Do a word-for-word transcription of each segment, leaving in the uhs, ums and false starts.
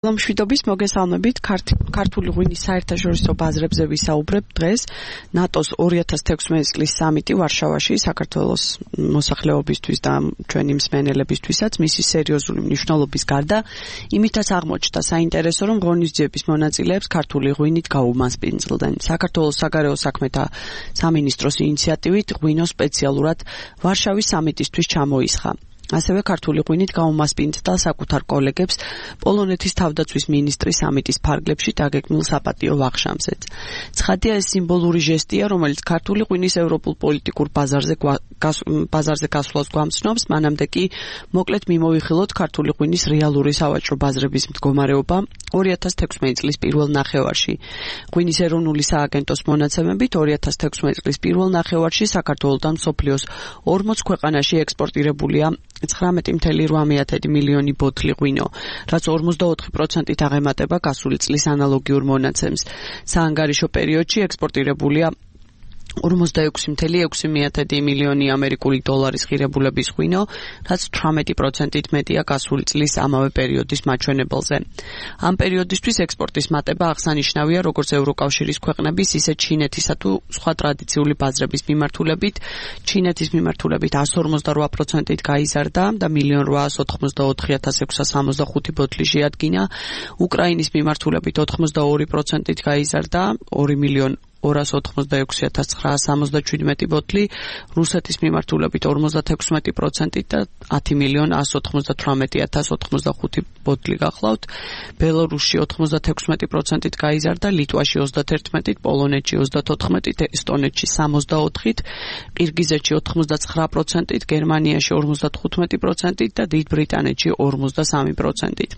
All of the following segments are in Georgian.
მშვიდობის მოგესალმებით. ქართული ღვინის საერთაშორისო ბაზრებზე ვისაუბრებ დღეს. ნატოს ორი ათას თექვსმეტი წლის სამიტი ვარშავაში საქართველოს მოსახლეობისთვის და ჩვენი მსმენელებისთვისაც მისი სერიოზული მნიშვნელობის გარდა იმითაც აღმოჩნდა საინტერესო, რომ ღონისძიების მონაწილეებს ქართული ღვინით გაუმასპინძლდნენ. საქართველოს საგარეო საქმეთა სამინისტროს ინიციატივით ღვინო სპეციალურად ვარშავის სამიტისთვის ჩამოისხა. ასევე ქართული ღვინით გაუმასპინძლდა საკუთარ კოლეგებს პოლონეთის თავდაცვის მინისტრის სამიტის ფარგლებში დაგეგმილ საპატიო ვახშამზეც. ცხადია, ეს სიმბოლური ჟესტია, რომელიც ქართული ღვინის ევროპულ პოლიტიკურ ბაზარზე ბაზარზე გასვლას გვამცნობს, მანამდე კი მოკლედ მიმოვიხილოთ ქართული ღვინის რეალური სავაჭრო ბაზრების მდგომარეობა ორი ათას თექვსმეტი წლის პირველ ნახევარში. ღვინის ეროვნული სააგენტოს მონაცემებით ორი ათას თექვსმეტი წლის პირველ ნახევარში საქართველოდან მსოფლიოს ორმოც ქვეყანაში ექსპორტირებულია ცხრამეტი მცდარი რვა მილიონი ბოთლი ღვინო, რაც ორმოცდაოთხი პროცენტით აღემატება გასული წლის ანალოგიურ მონაცემს. საანგარიშო პერიოდში ექსპორტირებულია ორმოცდაექვსი მცდარი ექვსი მილიონი ამერიკული დოლარის ღირებულების ღვინო, რაც თვრამეტი პროცენტით მეტია გასული წლის ამავე პერიოდის მაჩვენებელზე. ამ პერიოდისთვის ექსპორტის მატება აღსანიშნავია როგორც ევროკავშირის ქვეყნების, ისე ჩინეთისა თუ სხვა ტრადიციული ბაზრების მიმართულებით. ჩინეთის მიმართულებით εκατს ორმოცდარვა პროცენტით გაიზარდა და მილიონ რვაას ოთხმოცდაოთხი ათას ექვსას სამოცდახუთი ბოთლი შეადგინა. უკრაინის მიმართულებით ოთხმოცდაორი პროცენტით გაიზარდა ორი მილიონ ორას ოთხმოცდაექვსი ათას ცხრაას სამოცდაჩვიდმეტი ბოთლი, რუსეთის მიმართულებით ორმოცდათექვსმეტი პროცენტით და ათი მილიონ ასს ოცდათვრამეტი ათას ოცდახუთი ბოთლი გახლავთ. ბელორუსში ოთხმოცდათექვსმეტი პროცენტით გაიზარდა, ლიტვაში ოცდაათერთმეტით, პოლონეთში ოცდათოთხმეტით, ესტონეთში სამოცდაოთხით, ყირგიზეთში ოთხმოცდაცხრა პროცენტით, გერმანიაში ორმოცდათხუთმეტი პროცენტით და დიდ ბრიტანეთში ორმოცდასამი პროცენტით.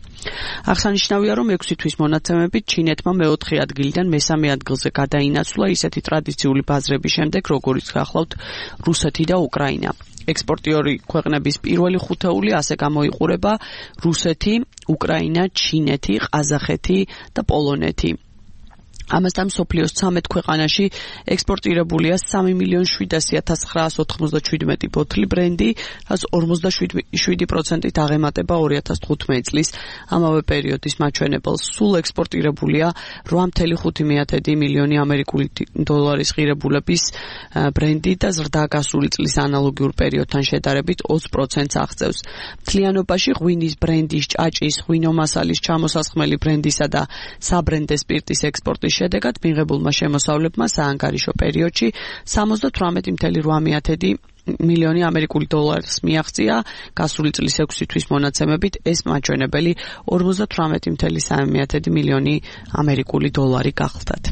აღსანიშნავია, რომ ექვსი თვის მონაცემებით ჩინეთმა მეოთხე ადგილიდან მესამე ადგილზე გადაინაცვლა ისეთი ტრადიციული ბაზრების შემდეგ, როგორიც გახლავთ რუსეთი და უკრაინა. ექსპორტიორი ქვეყნების პირველი ხუთეული ასე გამოიყურება რუსეთი, უკრაინა, ჩინეთი, ყაზახეთი და პოლონეთი. ამასთან მსოფლიოს ცამეტ ქვეყანაში ექსპორტირებულია სამი მილიონი შვიდასი ათას ცხრაას ოთხმოცდაჩვიდმეტი ბოთლი ბრენდი, რაც ორმოცდაშვიდი პროცენტით აღემატება ორი ათას თხუთმეტი წლის ამავე პერიოდის მაჩვენებელს. სულ ექსპორტირებულია რვა მცდარი ხუთი მილიონი ამერიკული დოლარის ღირებულების ბრენდი და ზრდა გასული წლის ანალოგიურ პერიოდთან შედარებით ოცი პროცენტს აღწევს. მთლიანობაში ღვინის ბრენდის, ჭაჭის, ღვინომასალის, ჩამოსასხმელი ბრენდისა და საბრენდე სპირტის ექსპორტის შედეგად მიღებულმა შემოსავლებმა საანგარიშო პერიოდში სამოცდათვრამეტი მცდარი რვა მილიონი ამერიკული დოლარს მიაღწია. გასული წლის ექვსი თვის მონაცემებით ეს მაჩვენებელი ორმოცდათვრამეტი მცდარი სამი მილიონი ამერიკული დოლარი გახლდათ.